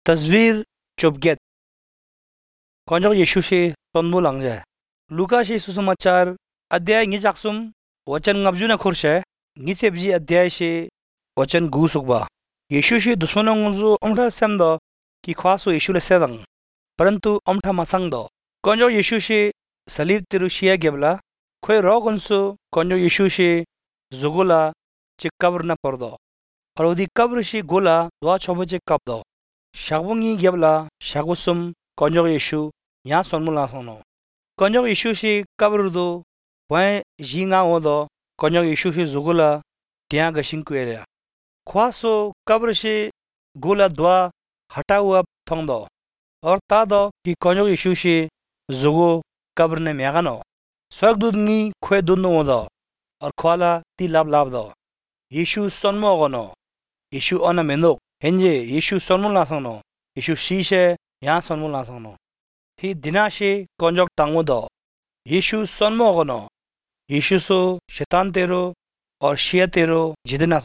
तस्वीर चुपगेत konjok Yesu she tonmu langje Luka she susamachar अध्याय ngi jaksum वचन ngabjuna खुरशे ngi sebji अध्याय she वचन गु सुकबा यीशु she दुश्मनों ngzu omtha semdo ki khwaso Yesu le sedang परंतु omtha masang do konjok Yesu she salib tiru shia gebla khoi rogonsu konjok Yesu she zugula che kabr na pordo arodi kabr she gola dwa chobo che kabdo shagbungi gebla shagusum konjok Yesu nya sonmula sono konjok Yesu she kabrudo wan jinga odo konjok Yesu she zugula tia gashin kwere khwaso kabr she gola dwa हटा हुआ थोंग दो और ता दो कि konjok Yesu she zugo कब्र ने म्यागनो स्वर्गदूत नी ख्वे दुनो दो और ख्वाला ती लाभ लाभ दो यीशु सन्मो गनो यीशु अना मेंदो हेंजे यीशु सन्मो लासनो यीशु शीशे यहाँ सन्मो लासनो ही दिनाशे konjok टांगो दो यीशु सन्मो गनो यीशु सो शैतान तेरो और शिया तेरो जिदना